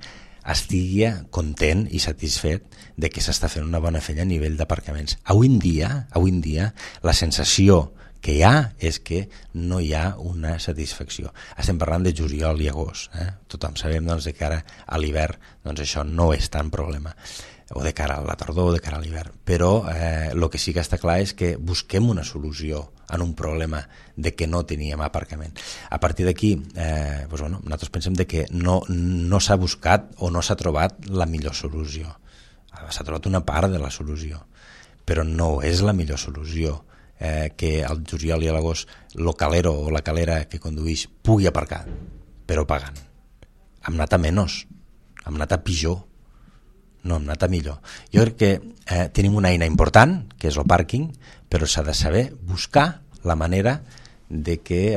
estigui content i satisfet de que s'està fent una bona feina a nivell d'aparcaments. Avui en dia la sensació que hi ha és que no hi ha una satisfacció. Estem parlant de juliol i agost. Tothom sabem doncs, que ara a l'hivern doncs, això no és tant problema. o de cara a la tardor o de cara a l'hivern, però el que sí que està clar és que busquem una solució en un problema de que no teníem aparcament. A partir d'aquí, nosaltres pensem de que no s'ha buscat o no s'ha trobat la millor solució. S'ha trobat una part de la solució, però no és la millor solució que al juliol i a l'agost el calero o la calera que conduïx pugui aparcar, però pagant. Hem anat a menys, hem anat a pitjor, no hem anat a millor. Jo crec que tenim una eina important, que és el pàrquing, però s'ha de saber buscar la manera de que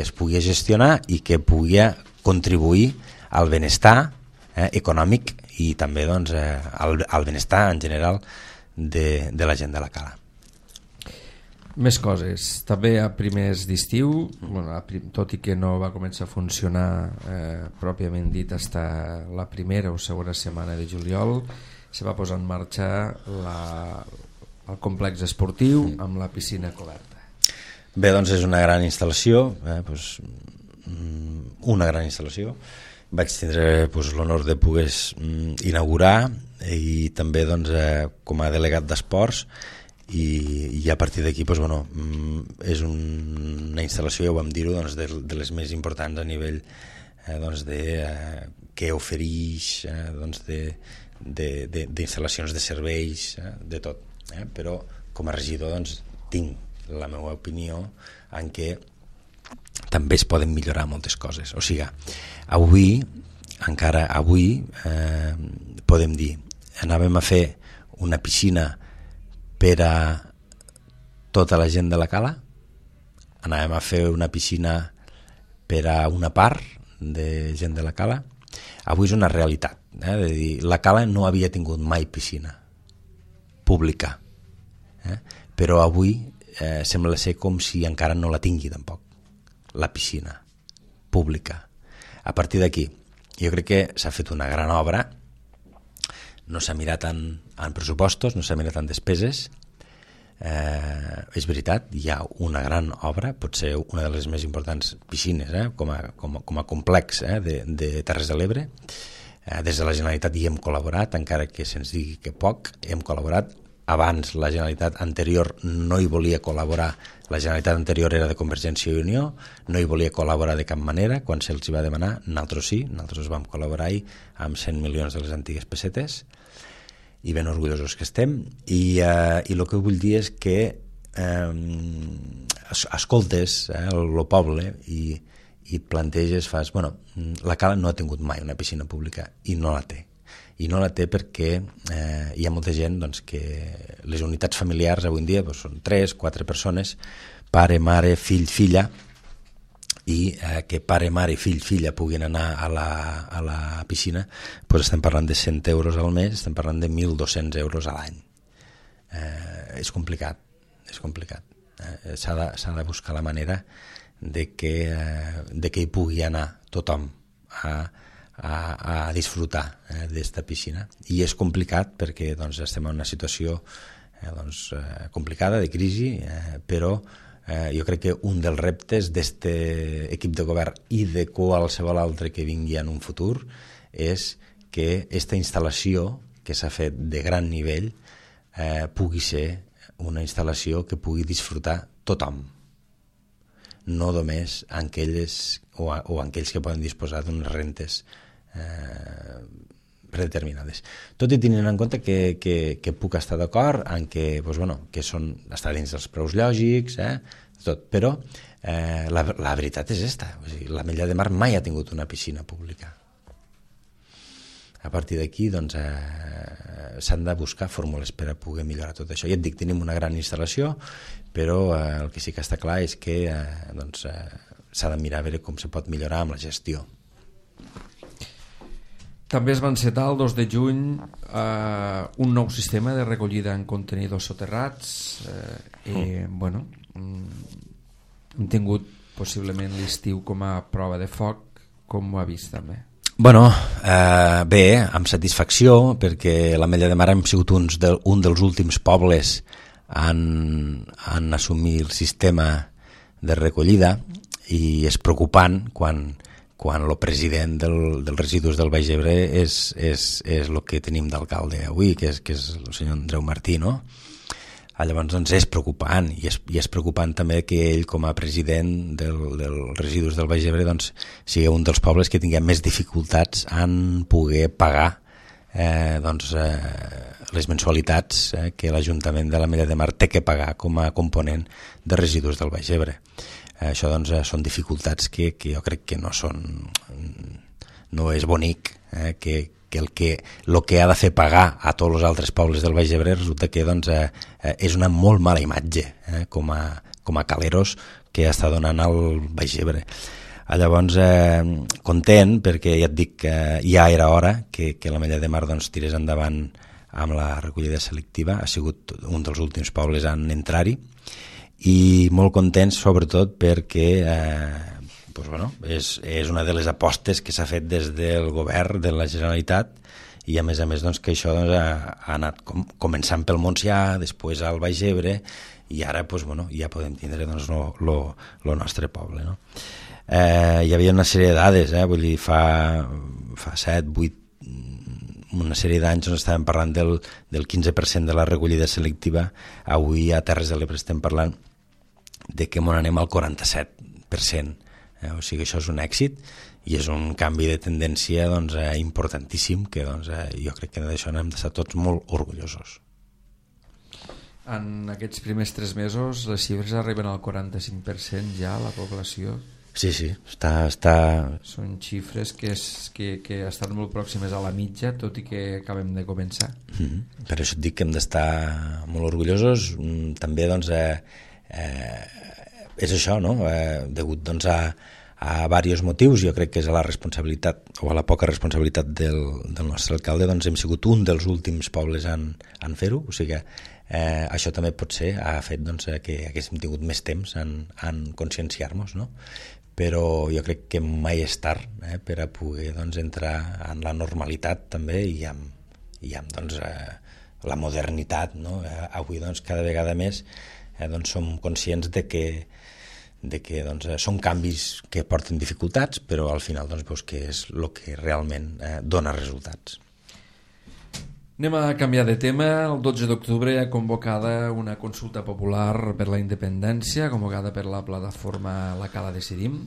es pugui gestionar i que pugui contribuir al benestar econòmic i també al benestar en general de la gent de la Cala. Més coses. També a primers d'estiu, tot i que no va començar a funcionar pròpiament dit fins la primera o segona setmana de juliol, se va posar en marxa el complex esportiu amb la piscina coberta. Bé, doncs és una gran instal·lació, una gran instal·lació. Vaig tindre l'honor de poder inaugurar i també com a delegat d'esports, i a partir d'aquí és una instal·lació, ja ho vam dir-ho, de les més importants a nivell de què ofereix, d'instal·lacions de serveis, de tot. Però com a regidor tinc la meva opinió en què també es poden millorar moltes coses. O sigui, encara avui podem dir, anàvem a fer una piscina per a tota la gent de la Cala, anàvem a fer una piscina per a una part de gent de la Cala. Avui és una realitat, de dir, la Cala no havia tingut mai piscina pública, però avui sembla ser com si encara no la tingui tampoc, la piscina pública. A partir d'aquí, jo crec que s'ha fet una gran obra. No s'ha mirat en pressupostos, no s'ha mirat en despeses. És veritat, hi ha una gran obra, pot ser una de les més importants piscines com a complex de Terres de l'Ebre. Des de la Generalitat hi hem col·laborat, encara que se'ns digui que poc, hem col·laborat. Abans la Generalitat anterior no hi volia col·laborar, la Generalitat anterior era de Convergència i Unió, no hi volia col·laborar de cap manera. Quan se'ls va demanar, nosaltres sí, nosaltres vam col·laborar-hi amb 100 milions de les antigues pessetes i ben orgullosos que estem, i el que vull dir és que escoltes el poble i planteges, la Cala no ha tingut mai una piscina pública i no la té. I no la té perquè hi ha molta gent que les unitats familiars avui en dia són 3-4 persones, pare, mare, fill, filla, i que pare, mare, fill, filla puguin anar a la piscina, estem parlant de 100 euros al mes, estem parlant de 1.200 euros a l'any. És complicat, és complicat. S'ha de buscar la manera de que hi pugui anar tothom a disfrutar d'esta piscina, i és complicat perquè estem en una situació complicada de crisi, però jo crec que un dels reptes d'este equip de govern i de qualsevol altre que vingui en un futur és que aquesta instal·lació que s'ha fet de gran nivell pugui ser una instal·lació que pugui disfrutar tothom, no només aquells que poden disposar d'unes rentes predeterminades. Tot i tenint en compte que puc estar d'acord en que està dins dels preus lògics, tot, però la veritat és esta. L'Ametlla de Mar mai ha tingut una piscina pública. A partir d'aquí s'han de buscar fórmules per a poder millorar tot això. Ja et dic, tenim una gran instal·lació, però el que sí que està clar és que s'ha de mirar a veure com se pot millorar amb la gestió. També es va encetar el 2 de juny un nou sistema de recollida en contenidors soterrats. Hem tingut possiblement l'estiu com a prova de foc. Com ho ha vist també? Bé, amb satisfacció, perquè l'Ametlla de Mar hem sigut un dels últims pobles en assumir el sistema de recollida, i és preocupant quan quan el president dels residus del Baix Ebre és el que tenim d'alcalde avui, que és el senyor Andreu Martí, no? Llavors doncs és preocupant, i és preocupant també que ell com a president dels residus del Baix Ebre doncs, sigui un dels pobles que tingui més dificultats en poder pagar les mensualitats que l'Ajuntament de l'Ametlla de Mar té que pagar com a component de residus del Baix Ebre. Això doncs són dificultats que jo crec que no és bonic, que el que ha de fer pagar a tots els altres pobles del Baix Ebre resulta que doncs, és una molt mala imatge com a caleros que està donant al Baix Ebre. Llavors, content, perquè ja et dic que ja era hora que l'Ametlla de Mar doncs, tirés endavant amb la recollida selectiva. Ha sigut un dels últims pobles en entrar-hi, i molt contents sobretot perquè és una de les apostes que s'ha fet des del govern de la Generalitat, i a més doncs, que això ha anat començant pel Montsià, després al Baix Ebre, i ara ja podem tindre el nostre poble, no? Hi havia una sèrie de dades, vull dir, fa 7, 8, una sèrie d'anys on estàvem parlant del 15% de la recollida selectiva. Avui a Terres de l'Ebre estem parlant de que anem al 47%. O sigui, això és un èxit i és un canvi de tendència importantíssim, que jo crec que d'això n'hem d'estar tots molt orgullosos. En aquests primers 3 mesos les xifres arriben al 45% ja, la població. Sí, està... Són xifres que estan molt pròximes a la mitja, tot i que acabem de començar. Per això et dic que hem d'estar molt orgullosos. També és això, no? Degut a diversos motius, jo crec que és a la responsabilitat o a la poca responsabilitat del nostre alcalde, hem sigut un dels últims pobles en fer-ho. O sigui que això també potser ha fet que haguéssim tingut més temps en conscienciar-nos, no? Però jo crec que mai és tard per a poder entrar en la normalitat també i amb la modernitat, no? Avui cada vegada més som conscients de que són canvis que porten dificultats, però al final veus que és el que realment dona resultats. Anem a canviar de tema. El 12 d'octubre hi ha convocada una consulta popular per la independència, convocada per la plataforma La Cala Decidim.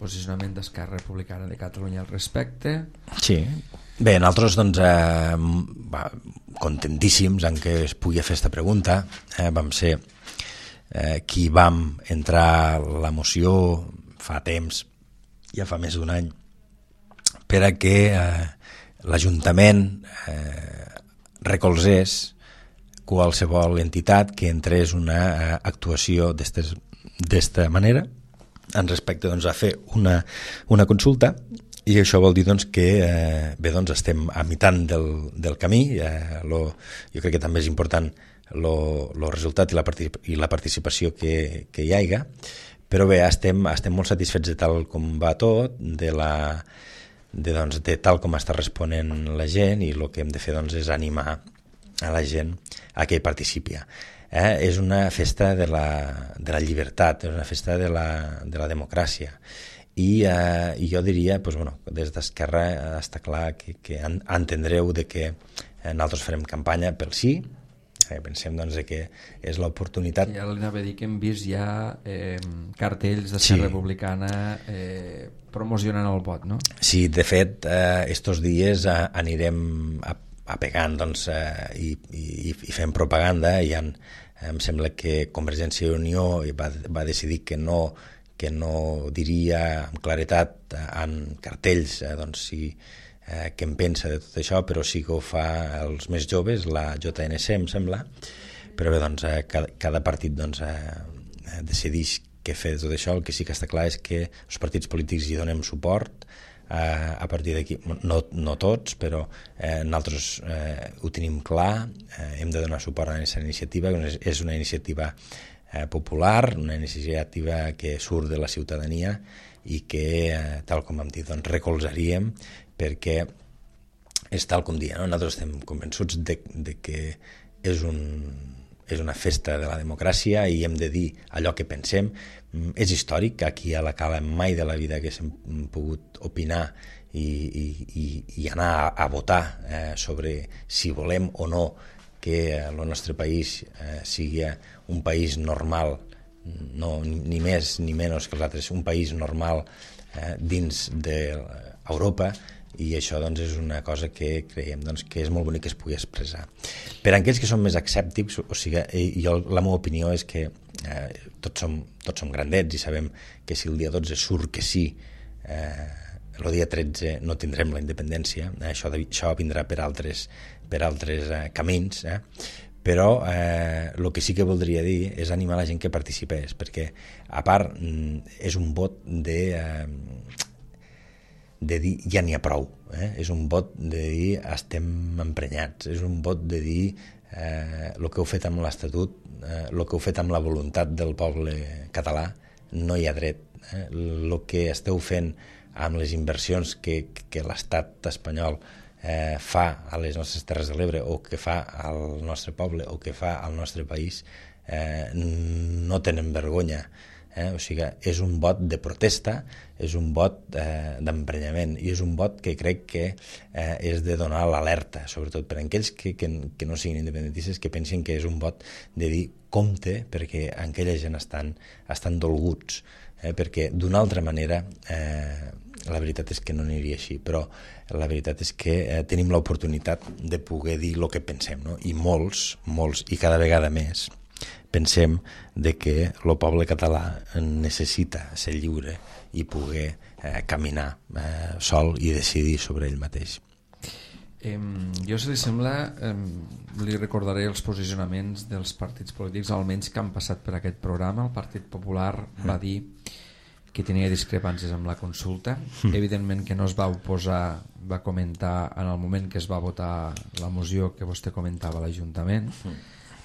Posicionament d'Esquerra Republicana de Catalunya al respecte. Sí. Bé, nosaltres contentíssims en què es pugui fer aquesta pregunta. Vam ser qui vam entrar la moció fa temps, ja fa més d'un any, per a que l'Ajuntament recolzés qualsevol entitat que entrés una actuació d'esta manera en respecte a fer una consulta, i això vol dir que estem a mitant del camí. Jo crec que també és important el resultat i la participació que hi haiga, però bé, estem molt satisfets de tal com va tot, de tal com està responent la gent, i el que hem de fer és animar a la gent a que hi participi. És una festa de la llibertat, és una festa de la democràcia, i jo diria, des d'Esquerra està clar que entendreu que nosaltres farem campanya pel sí. Pensem que és l'oportunitat. Ja l'anava a dir que hem vist ja cartells d'Esquerra Republicana promocionant el vot, no? Sí, de fet, estos dies anirem apegant i fent propaganda, i em sembla que Convergència i Unió va decidir que no diria amb claretat en cartells què en pensa de tot això, però sí que ho fa els més joves, la JNC em sembla, però bé, cada partit decideix què fer de tot això. El que sí que està clar és que els partits polítics hi donem suport. A partir d'aquí, no tots, però nosaltres ho tenim clar, hem de donar suport a aquesta iniciativa. És una iniciativa popular, una iniciativa que surt de la ciutadania i que, tal com hem dit, recolzaríem, perquè és tal com dia, no? Nosaltres estem convençuts de que és és una festa de la democràcia i hem de dir allò que pensem. És històric, aquí a la Cala mai de la vida haguéssim pogut opinar i anar a votar sobre si volem o no que el nostre país sigui un país normal, no, ni més ni menys que els altres, un país normal dins d'Europa, i això doncs, és una cosa que creiem doncs, que és molt bonic que es pugui expressar. Per a aquells que són més escèptics, o sigui, la meva opinió és que tots som grandets i sabem que si el dia 12 surt que sí, el dia 13 no tindrem la independència, això vindrà per altres camins, però el que sí que voldria dir és animar la gent que participés, perquè a part és un vot de dir ja n'hi ha prou, és un vot de dir estem emprenyats, és un vot de dir el que heu fet amb l'Estatut, el que heu fet amb la voluntat del poble català, no hi ha dret. El que esteu fent amb les inversions que l'estat espanyol fa a les nostres Terres de l'Ebre, o que fa al nostre poble, o que fa al nostre país, no tenen vergonya. O sigui, és un vot de protesta, és un vot d'emprenyament, i és un vot que crec que és de donar l'alerta, sobretot per a aquells que no siguin independentistes, que pensin que és un vot de dir compte, perquè aquella gent estan dolguts, perquè d'una altra manera la veritat és que no aniria així, però la veritat és que tenim l'oportunitat de poder dir el que pensem, no? I molts, i cada vegada més, pensem de que el poble català necessita ser lliure i poder caminar sol i decidir sobre ell mateix. Jo, si li sembla, li recordaré els posicionaments dels partits polítics, almenys que han passat per aquest programa. El Partit Popular va dir que tenia discrepàncies amb la consulta. Evidentment que no es va oposar, va comentar en el moment que es va votar la moció que vostè comentava a l'Ajuntament,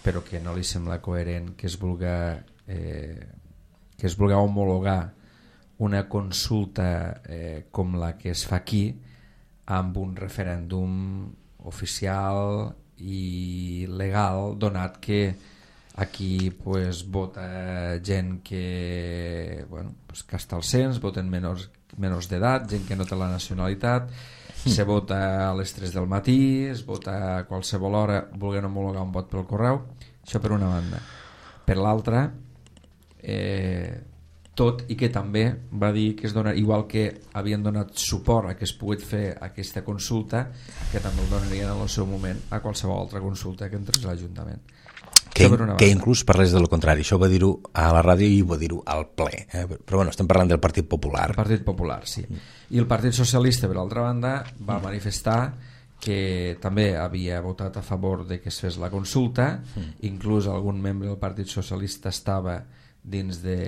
però que no li sembla coherent que es vulgui homologar una consulta com la que es fa aquí amb un referèndum oficial i legal, donat que aquí vota gent que està al cens, voten menors d'edat, gent que no té la nacionalitat, se vota a les 3 del matí, es vota a qualsevol hora, volent homologar un vot pel correu. Això per una banda. Per l'altra, tot i que també va dir que es dona, igual que havien donat suport a que es pogués fer aquesta consulta, que també el donarien en el seu moment a qualsevol altra consulta que entrés a l'Ajuntament. Que inclús parlés de lo contrari. Això va dir-ho a la ràdio i va dir-ho al ple. Però bueno, estem parlant del Partit Popular. El Partit Popular, sí. I el Partit Socialista, per l'altra banda, va manifestar que també havia votat a favor de que es fes la consulta. Inclús algun membre del Partit Socialista estava dins de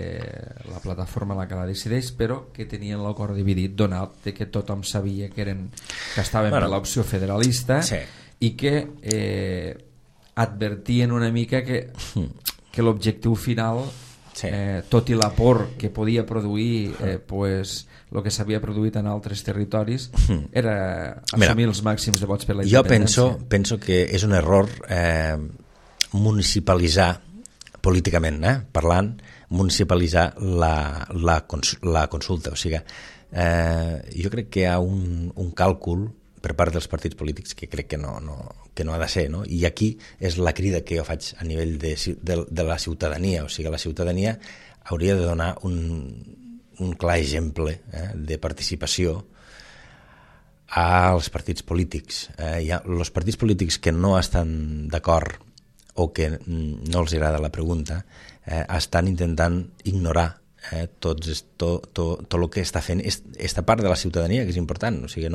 la plataforma la que la decideix, però que tenien el cor dividit, donat que tothom sabia que estaven per l'opció federalista, i que advertien una mica que l'objectiu final, tot i l'aport que podia produir el que s'havia produït en altres territoris, era assumir els màxims de vots per la independència. Jo penso que és un error municipalitzar políticament, parlant, municipalitzar la consulta. O sigui, jo crec que hi ha un càlcul per part dels partits polítics que crec que no ha de ser, no? I aquí és la crida que jo faig a nivell de la ciutadania. O sigui, la ciutadania hauria de donar un clar exemple de participació als partits polítics. Els partits polítics que no estan d'acord o que no els agrada la pregunta estan intentant ignorar tot el que està fent esta part de la ciutadania, que és important. O sigui,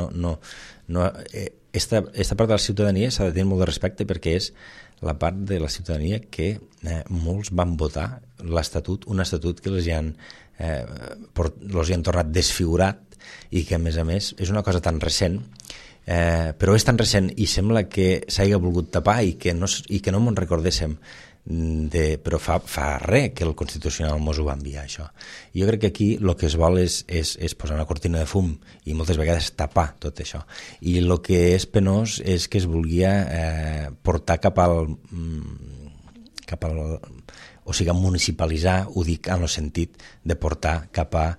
esta part de la ciutadania s'ha de tenir molt de respecte, perquè és la part de la ciutadania que molts van votar l'Estatut, un estatut que els hi han tornat desfigurat, i que a més és una cosa tan recent, però és tan recent i sembla que s'hagi volgut tapar i que no me'n recordéssim, però fa res que el Constitucional mos ho va enviar, això. Jo crec que aquí el que es vol és posar una cortina de fum i moltes vegades tapar tot això, i el que és penós és que es volia portar cap al o sigui, municipalitzar, ho dic en el sentit de portar cap a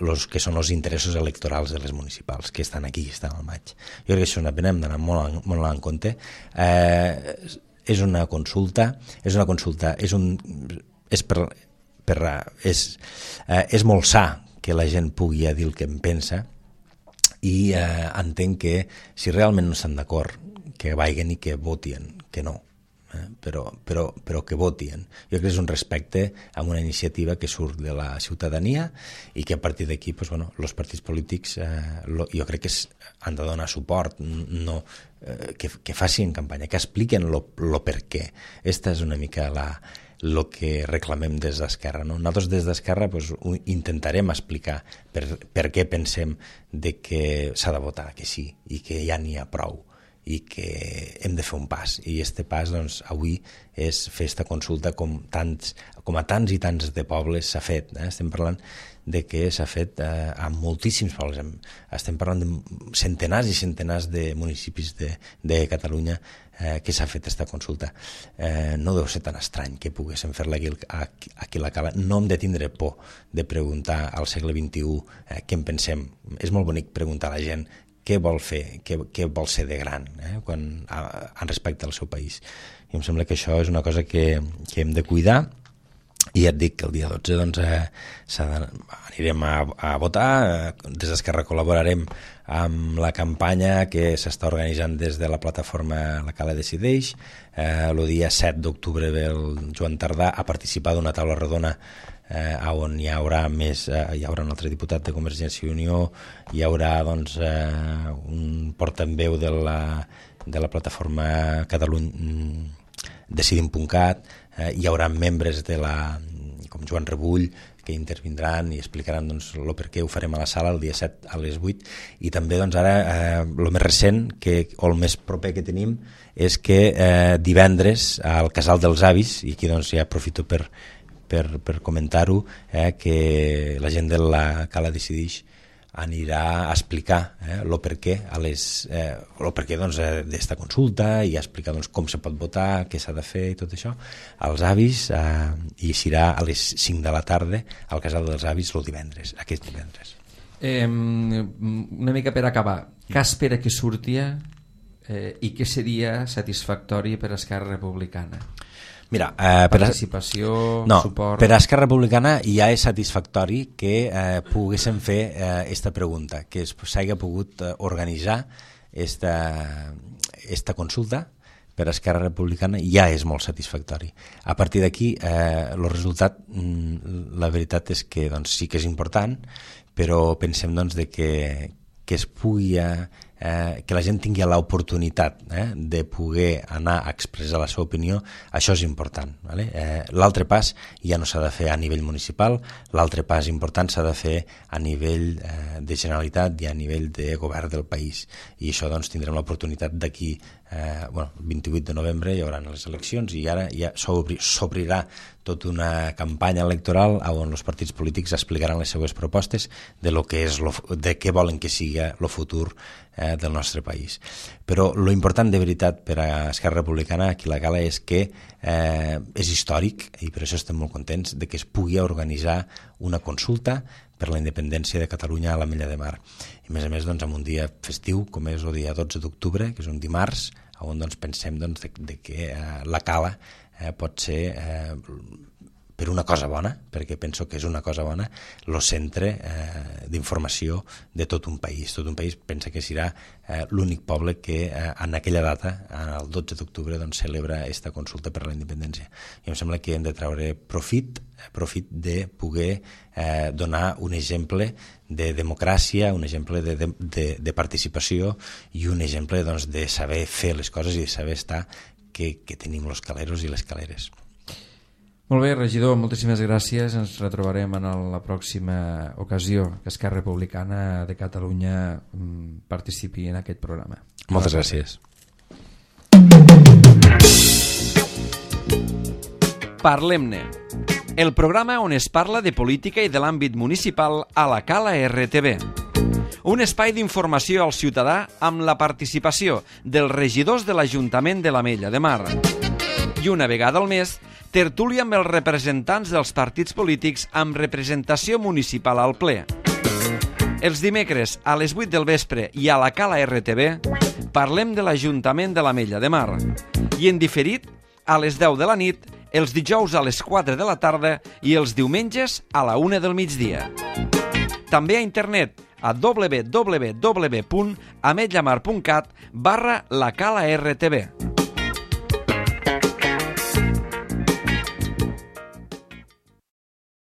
los que són els interessos electorals de les municipals, que estan aquí, que estan al maig. Jo crec que això hem d'anar molt en compte. És una consulta, és molt sa que la gent pugui dir el que en pensa, i entenc que si realment no estan d'acord, que vagin i que votin, que no. Però que votin. Jo crec que és un respecte a una iniciativa que surt de la ciutadania i que a partir d'aquí els partits polítics jo crec que han de donar suport, que facin campanya, que expliquen lo per què. Esta és una mica el que reclamem des d'Esquerra. Nosaltres des d'Esquerra intentarem explicar per què pensem que s'ha de votar que sí i que ja n'hi ha prou i que hem de fer un pas, i este pas avui és fer aquesta consulta com a tants i tants de pobles s'ha fet. Estem parlant de que s'ha fet a moltíssims pobles, estem parlant de centenars i centenars de municipis de Catalunya que s'ha fet aquesta consulta. No deu ser tan estrany que poguéssim fer-la aquí a la Cala. No hem de tindre por de preguntar al segle XXI què en pensem. És molt bonic preguntar a la gent què vol fer, què vol ser de gran en respecte al seu país. I em sembla que això és una cosa que hem de cuidar, i ja et dic que el dia 12 anirem a votar. Des d'Esquerra col·laborarem amb la campanya que s'està organitzant des de la plataforma La Cala Decideix. El dia 7 d'octubre ve el Joan Tardà a participar d'una taula rodona on hi haurà un altre diputat de Convergència i Unió, hi haurà un portaveu de la plataforma Catalunya Decidim.cat, hi haurà membres com Joan Rebull, que intervindran i explicaran el per què ho farem a la sala el dia 7 a les 8. I també ara el més recent o el més proper que tenim és que divendres al Casal dels Avis, i aquí ja aprofito per comentar-ho, que la gent de la Cala Decideix anirà a explicar el perquè d'esta consulta, i a explicar com se pot votar, què s'ha de fer i tot això als avis, i serà a les 5 de la tarda al Casal dels Avis aquest divendres. Una mica per acabar, què espera que surti i què seria satisfactori per a Esquerra Republicana? Mira, participació, suport... Per a Esquerra Republicana ja és satisfactori que poguéssim fer aquesta pregunta, que s'hagi pogut organitzar esta consulta. Per a Esquerra Republicana ja és molt satisfactori. A partir d'aquí, el resultat, la veritat és que sí que és important, però pensem que es pugui... que la gent tingui l'oportunitat de poder anar a expressar la seva opinió, això és important. L'altre pas ja no s'ha de fer a nivell municipal, l'altre pas important s'ha de fer a nivell de Generalitat i a nivell de govern del país, i això tindrem l'oportunitat d'aquí 28 de novembre hi haurà les eleccions, i ara ja s'obrirà tota una campanya electoral on els partits polítics explicaran les seues propostes de què volen que sigui el futur del nostre país. Però lo important de veritat per a Esquerra Republicana aquí a la Cala és que és històric, i per això estem molt contents de que es pugui organitzar una consulta per la independència de Catalunya a l'Ametlla de Mar. I a més en un dia festiu com és el dia 12 d'octubre, que és un dimarts, on pensem de que la Cala pot ser, per una cosa bona, perquè penso que és una cosa bona, el centre d'informació de tot un país. Tot un país pensa que serà l'únic poble que en aquella data, el 12 d'octubre, celebra aquesta consulta per la independència. I em sembla que hem de treure profit de poder donar un exemple de democràcia, un exemple de participació i un exemple de saber fer les coses i de saber estar que tenim els caleros i les caleres. Molt bé, regidor, moltíssimes gràcies. Ens retrobarem en la pròxima ocasió que Esquerra Republicana de Catalunya participi en aquest programa. Moltes gràcies. Parlem-ne, el programa on es parla de política i de l'àmbit municipal a la Cala RTV. Un espai d'informació al ciutadà amb la participació dels regidors de l'Ajuntament de l'Ametlla de Mar. I una vegada al mes tertúlia amb els representants dels partits polítics amb representació municipal al ple. Els dimecres a les 8 del vespre i a la Cala RTV parlem de l'Ajuntament de l'Ametlla de Mar i en diferit a les 10 de la nit, els dijous a les 4 de la tarda i els diumenges a la 1 del migdia. També a internet a www.ametllamar.cat/la Cala RTV.